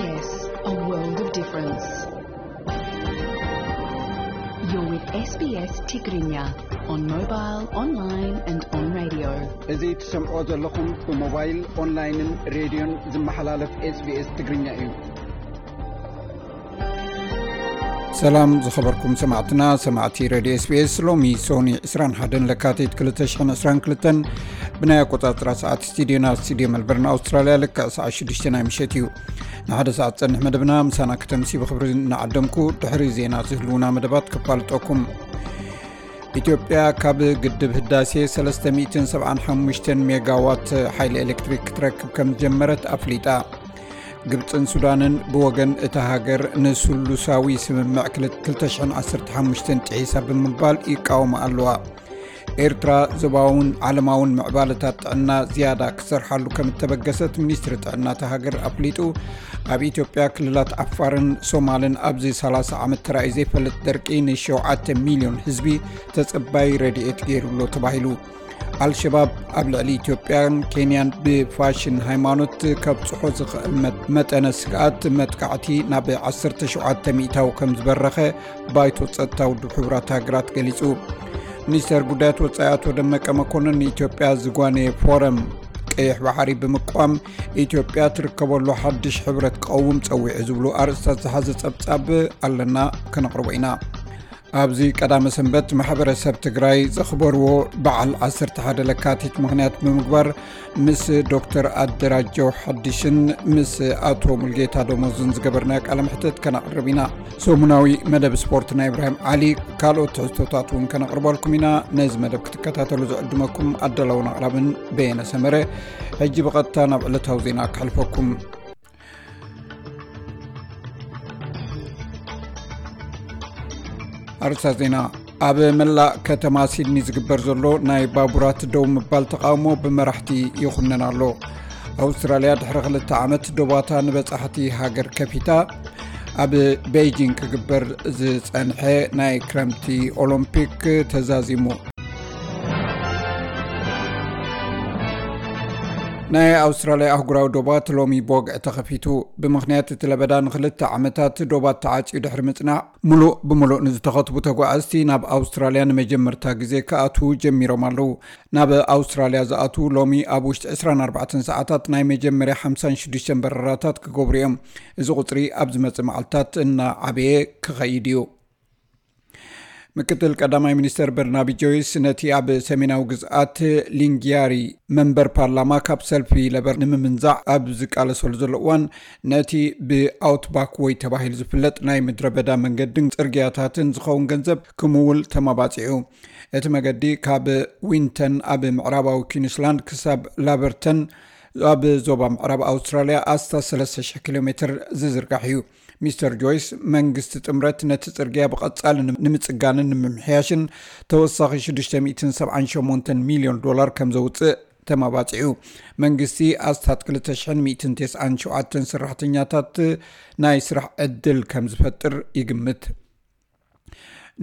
Yes, a world of difference. You're with S B S Tigrinya on mobile, online and on radio. እዚ ትሰምዖ ዘለኹም ብሞባይል፣ ኦንላይንን ሬድዮን ዝመሓላለፍ SBS ትግርኛ እዩ። ሰላም ዝኸበርኩም ሰማዕትና፣ ሰማዕቲ ሬድዮ SBS። ሎሚ ሶኒ ዕስራን ሓደን ለካቲት ክልተ ሽሕን ዕስራን ክልተን ብናይ ኣቆጻጽራ ሰዓት ስቱዲዮና፣ ስቱዲዮ መልበርን ኣውስትራልያ፣ ልክዕ ሰዓት ሽዱሽተ ናይ ምሸት እዩ። ንሓደ ሰዓት ጸንሕ መደብና ምሳና ከተምሲ ብኽብሪ እናዓደምኩ፣ ድሕሪ ዜና ዝህልውና መደባት ክፋልጠኩም። ኢትዮጵያ ካብ ግድብ ህዳሴ ሰለስተ ሚእትን ሰብዓን ሓሙሽተን ሜጋዋት ሓይሊ ኤሌክትሪክ ክትረክብ ከም ዝጀመረት ኣፍሊጣ። ግብጽን ሱዳንን ብወገን እታ ሃገር ንስሉሳዊ ስምምዕ ክልተ ሽሕን ዓሰርተ ሓሙሽተን ጥሒሳ ብምባል ይቃወማ ኣለዋ። ኤርትራ ዞባውን ዓለማውን ምዕባለታት ጥዕና ዝያዳ ክሰርሓሉ ከም እተበገሰት ሚኒስትሪ ጥዕና እታ ሃገር ኣፍሊጡ። ኣብ ኢትዮጵያ ክልላት ዓፋርን ሶማልን ኣብዚ ሰላሳ ዓመት ተራእዩ ዘይፈልጥ ደርቂ ንሸውዓተ ሚልዮን ህዝቢ ተጸባይ ረድኤት ገይሩ ኣሎ ተባሂሉ። ኣልሸባብ ኣብ ልዕሊ ኢትዮጵያን ኬንያን ብፋሽን ሃይማኖት ከብጽሖ ዝኽእል መ-፣ መጠነ ስግኣት መጥቃዕቲ ናብ ዓሰርተ ሸውዓተ ሚእታዊ ከም ዝበረኸ ባይቶ ጸጥታ ውድብ ሕቡራት ሃገራት ገሊጹ። ሚኒስተር ጉዳያት ወጻኢ ኣቶ ደመቀ መኮንን ንኢትዮጵያ ዝጓነየ ፎረም ቀይሕ ባሕሪ ብምቋም ኢትዮጵያ ትርከበሉ ሓድሽ ሕብረት ክቐውም ጸዊዑ ዝብሉ ኣርእስታት ዝሓዘ ጸብጻብ ኣለና፣ ከነቕርቦ ኢና። ኣብዚ ቀዳመ ሰንበት ማሕበረሰብ ትግራይ ዘኽበርዎ በዓል ዓሰርተ ሓደ ለካቲት ምኽንያት ብምግባር ምስ ዶክተር ኣደራጀው ሓድሽን ምስ ኣቶ ሙልጌታ ደሞዝን ዝገበርናዮ ቃለ መሕትት ከነቕርብ ኢና። ሰሙናዊ መደብ ስፖርት ናይ ኢብራሂም ዓሊ፣ ካልኦት ትሕዝቶታት እውን ከነቕርበልኩም ኢና። ነዚ መደብ ክትከታተሉ ዝዕድመኩም ኣዳላውን ኣቕራብን በየነ ሰመረ። ሕጂ ብቐጥታ ናብ ዕለታዊ ዜና ከሕልፈኩም። ኣርእስታት ዜና። ኣብ መላእ ከተማ ሲድኒ ዝግበር ዘሎ ናይ ባቡራት ደው ምባል ተቓውሞ ብመራሕቲ ይኹነን ኣሎ። ኣውስትራልያ ድሕሪ ክልተ ዓመት ዶባታ ንበጻሕቲ ሃገር ከፊታ። ኣብ ቤይጂንግ ክግበር ዝጸንሐ ናይ ክረምቲ ኦሎምፒክ ተዛዚሙ። ናይ ኣውስትራልያ ኣህጉራዊ ዶባት ሎሚ ብወግዒ ተኸፊቱ። ብምኽንያት እቲ ለበዳ ንኽልተ ዓመታት ዶባት ተዓጽዩ ድሕሪ ምጽናሕ፣ ሙሉእ ብሙሉእ ንዝተኸትቡ ተጓዓዝቲ ናብ ኣውስትራልያ ንመጀመርታ ግዜ ክኣትዉ ጀሚሮም ኣለዉ። ናብ ኣውስትራልያ ዝኣትዉ ሎሚ ኣብ ውሽጢ ዕስራን ኣርባዕተን ሰዓታት ናይ መጀመርያ ሓምሳን ሽዱሽተን በረራታት ክገብሩ እዮም። እዚ ቁጽሪ ኣብ ዝመጽእ መዓልታት እናዓበየ ክኸይድ እዩ። ምክትል ቀዳማይ ሚኒስተር በርናቢ ጆይስ ነቲ ኣብ ሰሜናዊ ግዝኣት ሊንጊያሪ መንበር ፓርላማ ካብ ሰልፊ ለበር ንምምንዛዕ ኣብ ዝቃለሰሉ ዘሎ እዋን፣ ነቲ ብኣውትባክ ወይ ተባሂሉ ዝፍለጥ ናይ ምድረ በዳ መንገድን ጽርግያታትን ዝኸውን ገንዘብ ክምውል ተመባጺዑ። እቲ መገዲ ካብ ዊንተን ኣብ ምዕራባዊ ኲንስላንድ ክሳብ ላበርተን ኣብ ዞባ ምዕራብ ኣውስትራልያ ኣስታት ሰለስተ ሽሕ ኪሎ ሜትር ዝዝርጋሕ እዩ። ሚስተር ጆይስ፣ መንግስቲ ጥምረት ነቲ ጽርግያ ብቐጻሊ ንም-፣ ንምጽጋንን ንምምሕያሽን ተወሳኺ ሽዱሽተ ሚእትን ሰብዓን ሸሞንተን ሚልዮን ዶላር ከም ዘውጽእ ተመባጺዑ። መንግስቲ ኣስታት ክልተ ሽሕን ሚእትን ተስዓን ሸውዓተን ሰራሕተኛታት ናይ ስራሕ ዕድል ከም ዝፈጥር ይግምት።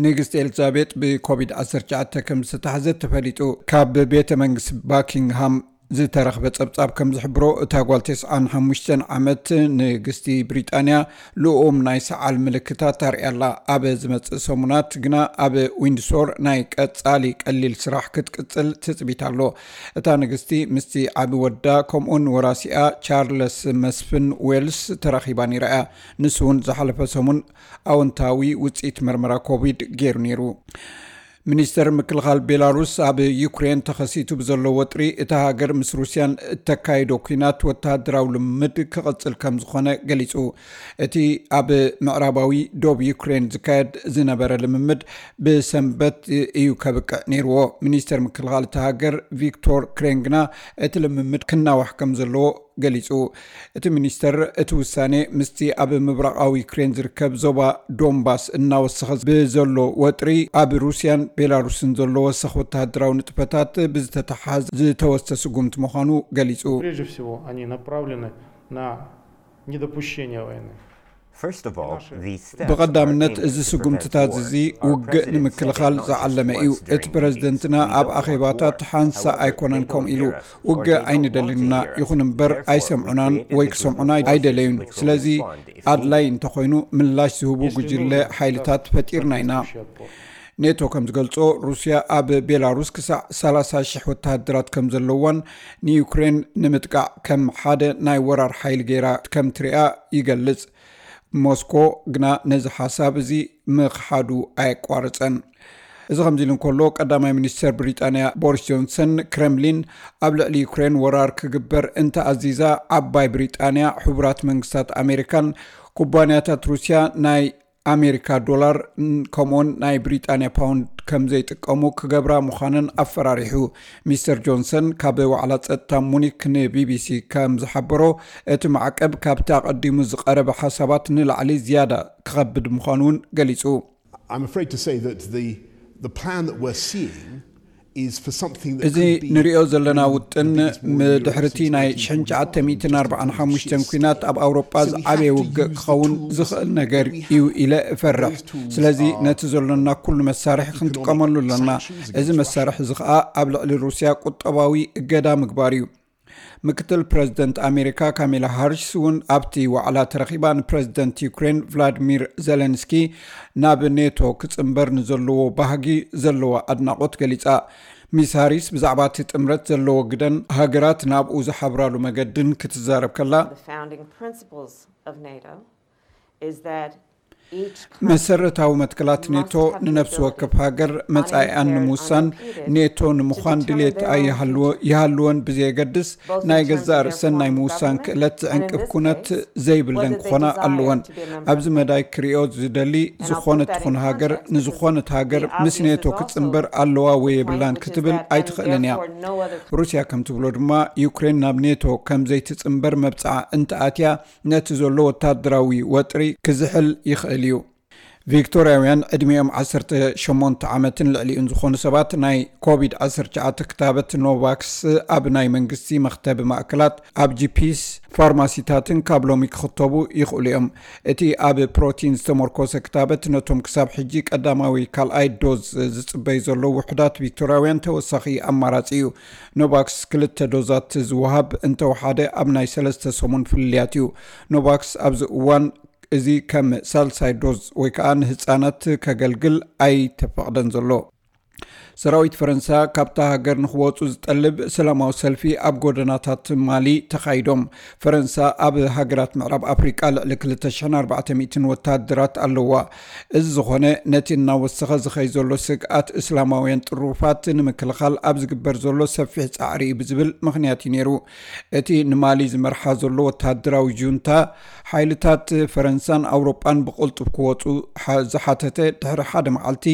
ንግስቲ ኤልዛቤጥ ብኮቪድ ዓሰርተ ትሽዓተ ከም ዝተታሕዘት ተፈሊጡ። ካብ ቤተ መንግስቲ ባኪንግሃም ዝተረኽበ ጸብጻብ ከም ዝሕብሮ፣ እታ ጓል ተስዓን ሓሙሽተን ዓመት ንግስቲ ብሪጣንያ ልኡም ናይ ሰዓል ምልክታት ኣርእያ ኣላ። ኣብ ዝመጽእ ሰሙናት ግና ኣብ ዊንድሶር ናይ ቀጻሊ ቀሊል ስራሕ ክትቅጽል ትጽቢት ኣሎ። እታ ንግስቲ ምስቲ ዓቢ ወዳ ከምኡውን ወራሲኣ ቻርለስ መስፍን ዌልስ ተራኺባ ነይራ እያ። ንሱ እውን ዝሓለፈ ሰሙን ኣወንታዊ ውጽኢት መርመራ ኮቪድ ገይሩ ነይሩ። ሚኒስተር ምክልኻል ቤላሩስ ኣብ ዩክሬን ተኸሲቱ ብዘሎ ወጥሪ፣ እታ ሃገር ምስ ሩስያን እተካይዶ ኲናት ወተሃደራዊ ልምምድ ክቕጽል ከም ዝኾነ ገሊጹ። እቲ ኣብ ምዕራባዊ ዶብ ዩክሬን ዝካየድ ዝነበረ ልምምድ ብሰንበት እዩ ከብቅዕ ነይርዎ። ሚኒስተር ምክልኻል እታ ሃገር ቪክቶር ክሬን ግና እቲ ልምምድ ክናዋሕ ከም ዘለዎ ገሊጹ። እቲ ሚኒስተር፣ እቲ ውሳኔ ምስቲ ኣብ ምብራቓዊ ዩክሬን ዝርከብ ዞባ ዶንባስ እናወሰኸ ብዘሎ ወጥሪ፣ ኣብ ሩስያን ቤላሩስን ዘሎ ወሰኽ ወተሃደራዊ ንጥፈታት ብዝተተሓሓዝ ዝተወስደ ስጉምቲ ምዃኑ ገሊጹ። Прежде всего, они направлены на недопущение войны. ብቐዳምነት፣ እዚ ስጉምትታት እዚ ውግእ ንምክልኻል ዝዓለመ እዩ። እቲ ፕረዚደንትና ኣብ ኣኼባታት ሓንሳ ኣይኮነን ከምኡ ኢሉ፣ ውግእ ኣይንደልን ኢና። ይኹን እምበር ኣይሰምዑናን ወይ ክሰምዑና ኣይደለዩን። ስለዚ ኣድላይ እንተኾይኑ ምላሽ ዝህቡ ጉጅለ ሓይልታት ፈጢርና ኢና። ኔቶ ከም ዝገልጾ፣ ሩስያ ኣብ ቤላሩስ ክሳዕ ሰላሳ ሽሕ ወተሃደራት ከም ዘለዋን ንዩክሬን ንምጥቃዕ ከም ሓደ ናይ ወራር ሓይሊ ገይራ ከም ትሪኣ ይገልጽ። ሞስኮ ግና ነዚ ሓሳብ እዚ ምኽሓዱ ኣየቋረጸን። እዚ ከምዚ ኢሉ እንከሎ፣ ቀዳማይ ሚኒስተር ብሪጣንያ ቦሪስ ጆንሰን፣ ክረምሊን ኣብ ልዕሊ ዩክሬን ወራር ክግበር እንተኣዚዛ፣ ዓባይ ብሪጣንያ፣ ሕቡራት መንግስታት ኣሜሪካን ኩባንያታት ሩስያ ናይ ኣሜሪካ ዶላር፣ ከምኡውን ናይ ብሪጣንያ ፓውንድ ከም ዘይጥቀሙ ክገብራ ምዃነን ኣፈራሪሑ። ሚስተር ጆንሰን ካብ ዋዕላ ጸጥታ ሙኒክ ንቢቢሲ ከም ዝሓበሮ፣ እቲ ማዕቀብ ካብቲ ኣቐዲሙ ዝቐረበ ሓሳባት ንላዕሊ ዝያዳ ክኸብድ ምዃኑ እውን ገሊጹ። I'm afraid to say that the, the plan that we're seeing is for something that እዚ could be ንሪኦ ዘለና ውጥን ምድሕርቲ ናይ ሽሕን ትሽዓተ ሚእትን ኣርባዓን ሓሙሽተን ኲናት ኣብ ኣውሮጳ ዝዓበየ ውግእ ክኸውን ዝኽእል ነገር እዩ ኢለ እፈርሕ። ስለዚ ነቲ ዘሎና ኩሉ መሳርሒ ክንጥቀመሉ ኣለና። እዚ መሳርሒ እዚ ኸኣ ኣብ ልዕሊ ሩስያ ቁጠባዊ እገዳ ምግባር እዩ። ምክትል ፕረዚደንት ኣሜሪካ ካሜላ ሃሪስ እውን ኣብቲ ዋዕላ ተረኺባ፣ ንፕረዚደንት ዩክሬን ቭላድሚር ዜለንስኪ ናብ ኔቶ ክጽንበር ንዘለዎ ባህጊ ዘለዋ ኣድናቖት ገሊጻ። ሚስ ሃሪስ ብዛዕባ እቲ ጥምረት ዘለዎ ግደን ሃገራት ናብኡ ዝሓብራሉ መገድን ክትዛረብ ከላ፣ The founding principles of NATO is that መሰረታዊ መትከላት ኔቶ ንነፍሲ ወከፍ ሃገር መጻኢኣን ንምውሳን፣ ኔቶ ንምዃን ድሌት ኣይሃልዎ- ይሃልወን ብዘየገድስ፣ ናይ ገዛእ ርእሰን ናይ ምውሳን ክእለት ዝዕንቅፍ ኩነት ዘይብለን ክኾና ኣለወን። ኣብዚ መዳይ ክሪኦ ዝደሊ፣ ዝኾነት ትኹን ሃገር ንዝኾነት ሃገር ምስ ኔቶ ክትጽንበር ኣለዋ ወይ የብላን ክትብል ኣይትኽእልን እያ። ሩስያ ከም ትብሎ ድማ፣ ዩክሬን ናብ ኔቶ ከም ዘይትጽንበር መብጽዓ እንተኣትያ፣ ነቲ ዘሎ ወታደራዊ ወጥሪ ክዝሕል ይኽእል እዩ። ቪክቶርያውያን ዕድሚኦም ዓሰርተ ሸሞንተ ዓመትን ልዕሊኡን ዝኾኑ ሰባት ናይ ኮቪድ ዓሰርተ ትሽዓተ ክታበት ኖቫክስ ኣብ ናይ መንግስቲ መኽተቢ ማእከላት፣ ኣብ ጂፒስ፣ ፋርማሲታትን ካብ ሎሚ ክኽተቡ ይኽእሉ እዮም። እቲ ኣብ ፕሮቲን ዝተመርኮሰ ክታበት ነቶም ክሳብ ሕጂ ቀዳማዊ ካልኣይ ዶዝ ዝጽበዩ ዘለዉ ውሑዳት ቪክቶርያውያን ተወሳኺ ኣማራጺ እዩ። ኖቫክስ ክልተ ዶዛት ዝወሃብ እንተወሓደ ኣብ ናይ ሰለስተ ሰሙን ፍልልያት እዩ። ኖቫክስ ኣብዚ እዋን እዚ ከም ሳልሳይ ዶዝ ወይ ከዓ ንህፃናት ከገልግል ኣይተፈቕደን ዘሎ። ሰራዊት ፈረንሳ ካብታ ሃገር ንክወፁ ዝጠልብ ሰላማዊ ሰልፊ ኣብ ጎደናታት ማሊ ተኻይዶም። ፈረንሳ ኣብ ሃገራት ምዕራብ ኣፍሪቃ ልዕሊ ክልተ ሽሕን ኣርባዕተ ሚእትን ወታደራት ኣለዋ። እዚ ዝኾነ ነቲ እናወሰኸ ዝኸይ ዘሎ ስግኣት እስላማውያን ጥሩፋት ንምክልኻል ኣብ ዝግበር ዘሎ ሰፊሕ ፃዕሪ እዩ ብዝብል ምኽንያት እዩ ነይሩ። እቲ ንማሊ ዝመርሓ ዘሎ ወታደራዊ ጁንታ፣ ሓይልታት ፈረንሳን ኣውሮጳን ብቕልጡፍ ክወፁ ሓ- ዝሓተተ ድሕሪ ሓደ መዓልቲ፣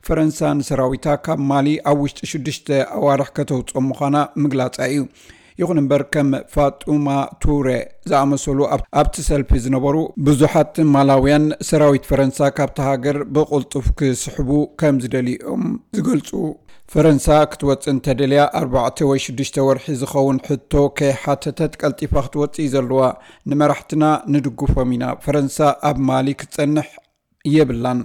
ፈረንሳ ንሰራዊታ ካብ ማሊ ኣብ ውሽጢ ሽዱሽተ ኣዋርሕ ከተውፅኦ ምዃና ምግላፃ እዩ። ይኹን እምበር፣ ከም ፋጡማ ቱረ ዝኣመሰሉ ኣብ- ኣብቲ ሰልፊ ዝነበሩ ብዙሓት ማላውያን፣ ሰራዊት ፈረንሳ ካብታ ሃገር ብቕልጡፍ ክስሕቡ ከም ዝደልዩ እዮም ዝገልፁ። ፈረንሳ ክትወጽእ እንተደልያ፣ ኣርባዕተ ወይ ሽዱሽተ ወርሒ ዝኸውን ሕቶ ከይሓተተት ቀልጢፋ ክትወጽእ እዩ ዘለዋ። ንመራሕትና ንድግፎም ኢና። ፈረንሳ ኣብ ማሊ ክትጸንሕ የብላን።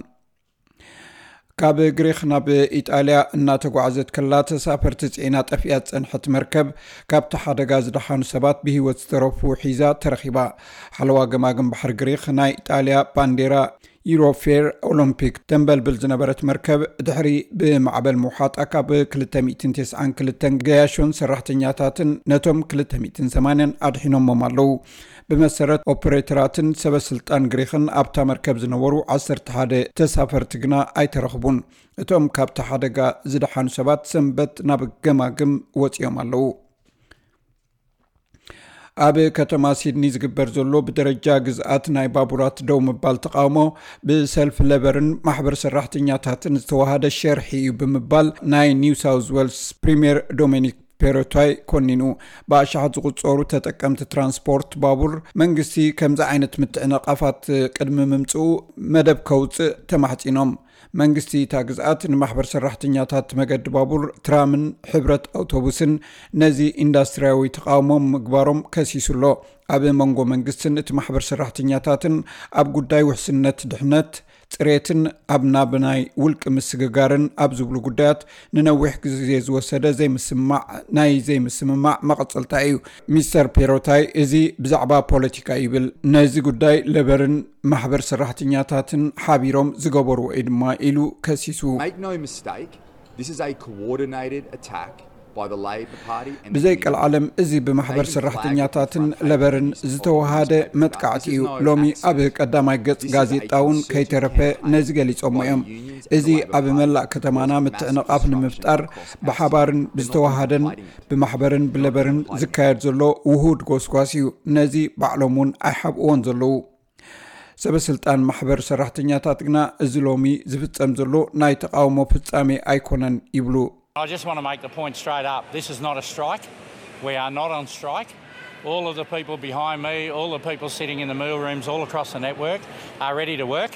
ካብ ግሪኽ ናብ ኢጣልያ እናተጓዕዘት ከላ፣ ተሳፈርቲ ጽዒና ጠፊኣ ዝጸንሐት መርከብ፣ ካብቲ ሓደጋ ዝደሓኑ ሰባት ብህይወት ዝተረፉ ሒዛ ተረኺባ። ሓለዋ ገማግም ባሕሪ ግሪኽ፣ ናይ ኢጣልያ ባንዴራ ዩሮፌር ኦሎምፒክ ተንበልብል ዝነበረት መርከብ፣ ድሕሪ ብማዕበል ምውሓጣ፣ ካብ ክልተ ሚእትን ተስዓን ክልተን ገያሾን ሰራሕተኛታትን ነቶም ክልተ ሚእትን ሰማንያን ኣድሒኖሞም ኣለዉ። ብመሰረት ኦፕሬተራትን ሰበ ስልጣን ግሪኽን፣ ኣብታ መርከብ ዝነበሩ ዓሰርተ ሓደ ተሳፈርቲ ግና ኣይተረኽቡን። እቶም ካብቲ ሓደጋ ዝደሓኑ ሰባት ሰንበት ናብ ገማግም ወጺኦም ኣለዉ። ኣብ ከተማ ሲድኒ ዝግበር ዘሎ ብደረጃ ግዝኣት ናይ ባቡራት ደው ምባል ተቓውሞ፣ ብሰልፊ ለበርን ማሕበር ሰራሕተኛታትን ዝተዋሃደ ሸርሒ እዩ ብምባል፣ ናይ ኒው ሳውዝ ዌልስ ፕሪምየር ዶሚኒክ ፔሮታይ ኮኒኑ። ብኣሽሓት ዝቑጸሩ ተጠቀምቲ ትራንስፖርት ባቡር፣ መንግስቲ ከምዚ ዓይነት ምትዕንቓፋት ቅድሚ ምምጽኡ መደብ ከውጽእ ተማሕጺኖም። መንግስቲ እታ ግዝኣት ንማሕበር ሰራሕተኛታት መገዲ ባቡር ትራምን ሕብረት ኣውቶቡስን ነዚ ኢንዳስትሪያዊ ተቓውሞ ምግባሮም ከሲሱ ኣሎ። ኣብ መንጎ መንግስትን እቲ ማሕበር ሰራሕተኛታትን ኣብ ጉዳይ ውሕስነት ድሕነት፣ ጽሬትን ኣብ ናብ ናይ ውልቂ ምስግጋርን ኣብ ዝብሉ ጉዳያት ንነዊሕ ግዜ ዝወሰደ ዘይምስማዕ ናይ ዘይምስምማዕ መቐጸልታ እዩ። ሚስተር ፔሮታይ እዚ ብዛዕባ ፖለቲካ ይብል። ነዚ ጉዳይ ለበርን ማሕበር ሰራሕተኛታትን ሓቢሮም ዝገበርዎ እዩ ድማ ኢሉ ከሲሱ። Make no mistake, this is a coordinated attack by the Labor Party and the ብዘይ ቀልዓለም እዚ ብማሕበር ሰራሕተኛታትን ለበርን ዝተወሃደ መጥቃዕቲ እዩ። ሎሚ ኣብ ቀዳማይ ገጽ ጋዜጣ እውን ከይተረፈ ነዚ ገሊጾሞ እዮም። እዚ ኣብ መላእ ከተማና ምትዕንቓፍ ንምፍጣር ብሓባርን ብዝተወሃደን ብማሕበርን ብለበርን ዝካየድ ዘሎ ውሁድ ጎስጓስ እዩ። ነዚ ባዕሎም እውን ኣይሓብእዎን ዘለዉ። ሰበ ስልጣን ማሕበር ሰራሕተኛታት ግና እዚ ሎሚ ዝፍጸም ዘሎ ናይ ተቃውሞ ፍጻሜ ኣይኮነን ይብሉ። I just want to make the point straight up. This is not a strike. We are not on strike. All of the people behind me, all the people sitting in the meal rooms all across the network are ready to work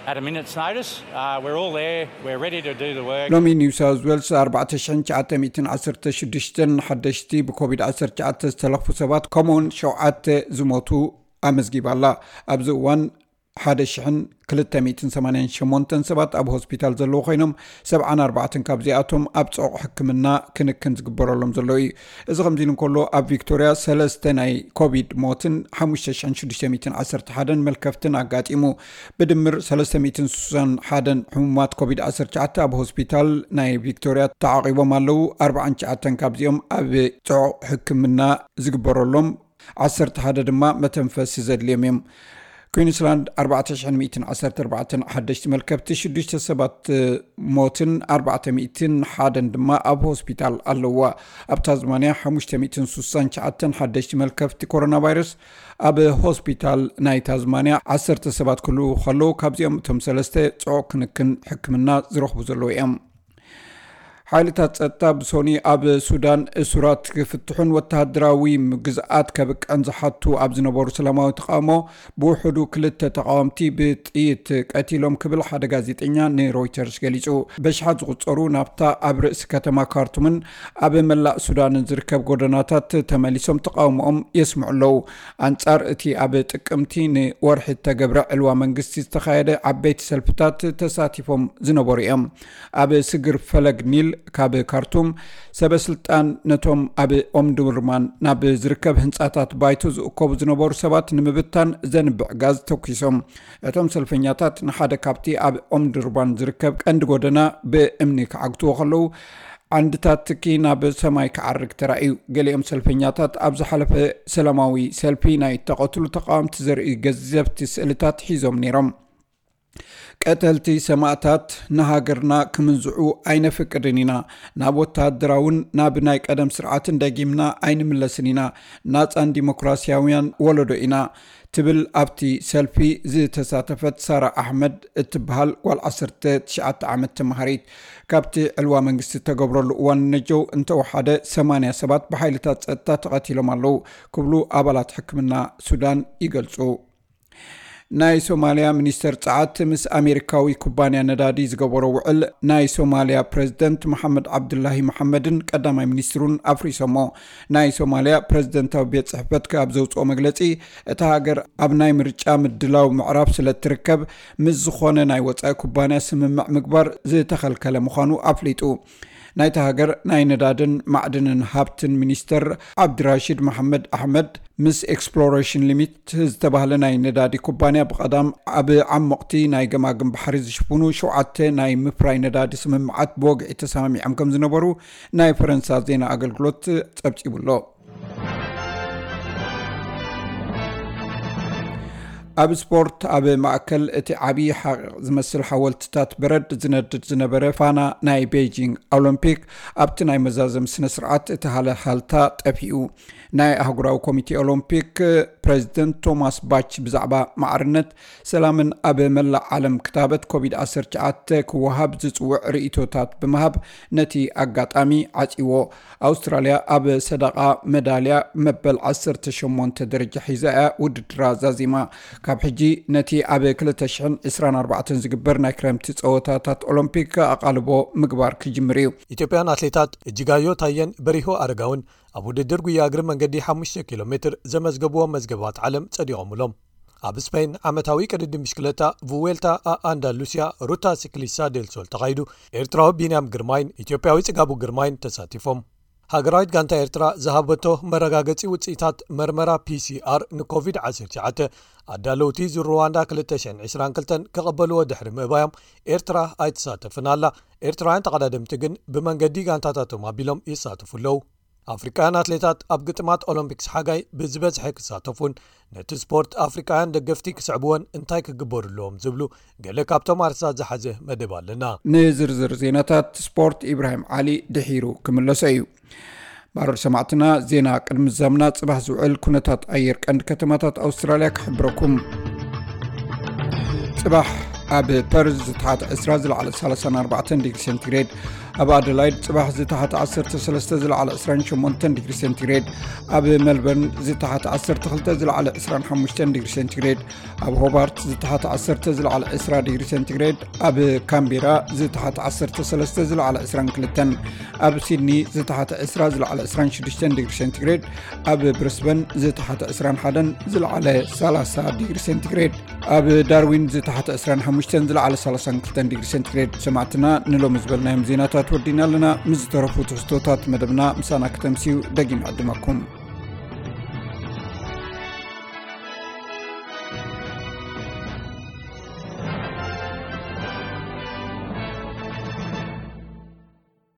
at a minute's notice. Uh, we're all there. We're ready to do the work. ሎሚ ኒው ሳውዝ ዌልስ ኣርባዕተ ሽሕን ትሽዓተ ሚእትን ዓሰርተ ሽዱሽተን ሓደሽቲ ብኮቪድ ዓሰርተ ትሽዓተ ዝተለኽፉ ሰባት ከምኡውን ሸውዓተ ዝሞቱ ኣመዝጊባ ኣላ። ኣብዚ እዋን ሓደ ሽሕን ክልተ ሚእትን ሰማንያን ሸሞንተን ሰባት ኣብ ሆስፒታል ዘለዉ ኮይኖም፣ ሰብዓን ኣርባዕተን ካብዚኣቶም ኣብ ጽዑቕ ሕክምና ክንክን ዝግበረሎም ዘለዉ እዩ። እዚ ከምዚ ኢሉ እንከሎ፣ ኣብ ቪክቶርያ ሰለስተ ናይ ኮቪድ ሞትን ሓሙሽተ ሽሕን ሽዱሽተ ሚእትን ዓሰርተ ሓደን መልከፍትን ኣጋጢሙ። ብድምር ሰለስተ ሚእትን ስሳን ሓደን ሕሙማት ኮቪድ ዓሰርተ ትሽዓተ ኣብ ሆስፒታል ናይ ቪክቶርያ ተዓቒቦም ኣለዉ። ኣርባዓን ትሽዓተን ካብዚኦም ኣብ ጽዑቕ ሕክምና ዝግበረሎም፣ ዓሰርተ ሓደ ድማ መተንፈሲ ዘድልዮም እዮም። ኩዊንስላንድ ኣርባዕተ ሽሕን ሚእትን ዓሰርተ ኣርባዕተን ሓደሽቲ መልከፍቲ፣ ሽዱሽተ ሰባት ሞትን ኣርባዕተ ሚእትን ሓደን ድማ ኣብ ሆስፒታል ኣለዋ። ኣብ ታዝማንያ ሓሙሽተ ሚእትን ስሳን ትሽዓተን ሓደሽቲ መልከፍቲ ኮሮና ቫይረስ ኣብ ሆስፒታል ናይ ታዝማንያ ዓሰርተ ሰባት ክህልዉ ከለዉ፣ ካብዚኦም እቶም ሰለስተ ጽዑቕ ክንክን ሕክምና ዝረኽቡ ዘለዉ እዮም። ሓይልታት ጸጥታ ብሶኒ ኣብ ሱዳን እሱራት ክፍትሑን ወተሃደራዊ ግዝኣት ከብቅዕን ዝሓቱ ኣብ ዝነበሩ ሰላማዊ ተቃውሞ ብውሕዱ ክልተ ተቃወምቲ ብጥይት ቀቲሎም ክብል ሓደ ጋዜጠኛ ንሮይተርስ ገሊጹ። በሽሓት ዝቁጸሩ ናብታ ኣብ ርእሲ ከተማ ካርቱምን ኣብ መላእ ሱዳንን ዝርከብ ጎደናታት ተመሊሶም ተቃውሞኦም የስምዑ ኣለዉ። ኣንጻር እቲ ኣብ ጥቅምቲ ንወርሒ እተገብረ ዕልዋ መንግስቲ ዝተኻየደ ዓበይቲ ሰልፍታት ተሳቲፎም ዝነበሩ እዮም። ኣብ ስግር ፈለግ ኒል ካብ ካርቱም ሰበ ስልጣን ነቶም ኣብ ኦምዱርማን ናብ ዝርከብ ህንጻታት ባይቶ ዝእከቡ ዝነበሩ ሰባት ንምብታን ዘንብዕ ጋዝ ተኩሶም። እቶም ሰልፈኛታት ንሓደ ካብቲ ኣብ ኦምዱርማን ዝርከብ ቀንዲ ጎደና ብእምኒ ክዓግትዎ ከለዉ፣ ዓንድታት ትኪ ናብ ሰማይ ክዓርግ ተራእዩ። ገሊኦም ሰልፈኛታት ኣብ ዝሓለፈ ሰላማዊ ሰልፊ ናይ ተቐትሉ ተቃወምቲ ዘርኢ ገዘፍቲ ስእልታት ሒዞም ነይሮም። ቀተልቲ ሰማእታት ንሃገርና ክምንዝዑ ኣይነፍቅድን ኢና። ናብ ወተሃደራውን ናብ ናይ ቀደም ስርዓትን ደጊምና ኣይንምለስን ኢና። ናጻን ዲሞክራሲያውያን ወለዶ ኢና፣ ትብል ኣብቲ ሰልፊ ዝተሳተፈት ሳራ ኣሕመድ እትበሃል ጓል ዓሰርተ ትሽዓተ ዓመት ተመሃሪት። ካብቲ ዕልዋ መንግስቲ እተገብረሉ እዋን ነጀው እንተወሓደ ሰማንያ ሰባት ብሓይልታት ጸጥታ ተቐቲሎም ኣለዉ ክብሉ ኣባላት ሕክምና ሱዳን ይገልጹ። ናይ ሶማልያ ሚኒስተር ጸዓት ምስ ኣሜሪካዊ ኩባንያ ነዳዲ ዝገበሮ ውዕል ናይ ሶማልያ ፕረዚደንት መሓመድ ዓብዱላሂ መሓመድን ቀዳማይ ሚኒስትሩን ኣፍሪሶሞ። ናይ ሶማልያ ፕረዚደንታዊ ቤት ጽሕፈት ካብ ዘውጽኦ መግለጺ፣ እታ ሃገር ኣብ ናይ ምርጫ ምድላው ምዕራፍ ስለ እትርከብ፣ ምስ ዝኾነ ናይ ወጻኢ ኩባንያ ስምምዕ ምግባር ዝተኸልከለ ምዃኑ ኣፍሊጡ። ናይታ ሃገር ናይ ነዳድን ማዕድንን ሃብትን ሚኒስተር ዓብድራሺድ መሓመድ ኣሕመድ ምስ ኤክስፕሎሬሽን ሊሚት ዝተባህለ ናይ ነዳዲ ኩባንያ ብቐዳም ኣብ ዓሞቕቲ ናይ ገማግም ባሕሪ ዝሽፍኑ ሸውዓተ ናይ ምፍራይ ነዳዲ ስምምዓት ብወግዒ ተሰማሚዖም ከም ዝነበሩ ናይ ፈረንሳ ዜና ኣገልግሎት ጸብጺቡ ኣሎ። ኣብ ስፖርት፣ ኣብ ማእከል እቲ ዓብዪ ሓቕ ዝመስል ሓወልትታት በረድ ዝነድድ ዝነበረ ፋና ናይ ቤይጂንግ ኦሎምፒክ ኣብቲ ናይ መዛዘሚ ስነ ስርዓት እቲ ሃለሃልታ ጠፊኡ። ናይ ኣህጉራዊ ኮሚቴ ኦሎምፒክ ፕረዚደንት ቶማስ ባች ብዛዕባ ማዕርነት፣ ሰላምን ኣብ መላእ ዓለም ክታበት ኮቪድ ዓሰርተ ትሽዓተ ክወሃብ ዝጽውዕ ርእይቶታት ብምሃብ ነቲ ኣጋጣሚ ዓጺዎ። ኣውስትራልያ ኣብ ሰደቓ መዳልያ መበል ዓሰርተ ሸሞንተ ደረጃ ሒዛ እያ ውድድራ ዛዚማ። ካብ ሕጂ ነቲ ኣብ ክልተ ሽሕን ዕስራን ኣርባዕተን ዝግበር ናይ ክረምቲ ጸወታታት ኦሎምፒክ ኣቓልቦ ምግባር ክጅምር እዩ። ኢትዮጵያን ኣትሌታት እጅጋዮ ታየን በሪሁ ኣረጋውን ኣብ ውድድር ጉያ እግሪ መንገዲ ሓሙሽተ ኪሎ ሜትር ዘመዝገቡዎ መዝገባት ዓለም ጸዲቖምሎም። ኣብ ስፔን ዓመታዊ ቅድድም ብሽክለታ ቭዌልታ ኣንዳሉሲያ ሩታ ሲክሊሳ ዴል ሶል ተኻይዱ። ኤርትራዊ ቢንያም ግርማይን ኢትዮጵያዊ ጽጋቡ ግርማይን ተሳቲፎም። ሃገራዊት ጋንታ ኤርትራ ዝሃበቶ መረጋገጺ ውጽኢታት መርመራ ፒሲኣር ንኮቪድ ዓሰርተ ትሽዓተ ኣዳለውቲ ዙር ሩዋንዳ ክልተ ሽሕን ዕስራን ክልተን ክቕበልዎ ድሕሪ ምእባዮም ኤርትራ ኣይትሳተፍን ኣላ። ኤርትራውያን ተቐዳደምቲ ግን ብመንገዲ ጋንታታቶም ኣቢሎም ይሳተፉ ኣለዉ። ኣፍሪቃውያን ኣትሌታት ኣብ ግጥማት ኦሎምፒክስ ሓጋይ ብዝበዝሐ ክሳተፉን ነቲ ስፖርት ኣፍሪቃውያን ደገፍቲ ክስዕብዎን እንታይ ክግበሩ ኣለዎም ዝብሉ ገለ ካብቶም ኣርስታት ዝሓዘ መደብ ኣለና። ንዝርዝር ዜናታት ስፖርት ኢብራሂም ዓሊ ድሒሩ ክምለሶ እዩ። ባሮድ ሰማዕትና፣ ዜና ቅድሚ ዛምና ጽባሕ ዝውዕል ኩነታት ኣየር ቀንዲ ከተማታት ኣውስትራልያ ክሕብረኩም። ጽባሕ ኣብ ፐርዝ ዝተሓተ ዕስራ ዝለዓለ ሰላሳን ኣርባዕተን ዲግሪ ሴንቲግሬድ፣ ኣብ ኣደላይድ ጽባሕ ዝተሓተ ዓሰርተ ሰለስተ ዝለዓለ ዕስራን ሸሞንተን ዲግሪ ሴንቲግሬድ፣ ኣብ ሜልበርን ዝተሓተ ዓሰርተ ክልተ ዝለዓለ ዕስራን ሓሙሽተን ዲግሪ ሴንቲግሬድ፣ ኣብ ሆባርት ዝተሓተ ዓሰርተ ዝለዓለ ዕስራ ዲግሪ ሴንቲግሬድ፣ ኣብ ካምቤራ ዝተሓተ ዓሰርተ ሰለስተ ዝለዓለ ዕስራን ክልተን፣ ኣብ ሲድኒ ዝተሓተ ዕስራ ዝለዓለ ዕስራን ሽዱሽተን ዲግሪ ሴንቲግሬድ፣ ኣብ ብሪስበን ዝተሓተ ዕስራን ሓደን ዝለዓለ ሰላሳ ዲግሪ ሴንቲግሬድ፣ ኣብ ዳርዊን ዝተሓተ ዕስራን ሓሙሽተን ዝለዓለ ሰላሳን ክልተን ዲግሪ ሴንቲግሬድ። ሰማዕትና፣ ንሎሚ ዝበልናዮም ዜናታት ወዲና ኣለና። ምስ ዝተረፉ ትሕዝቶታት መደብና ምሳና ክተምስዩ ደጊም ዕድመኩም።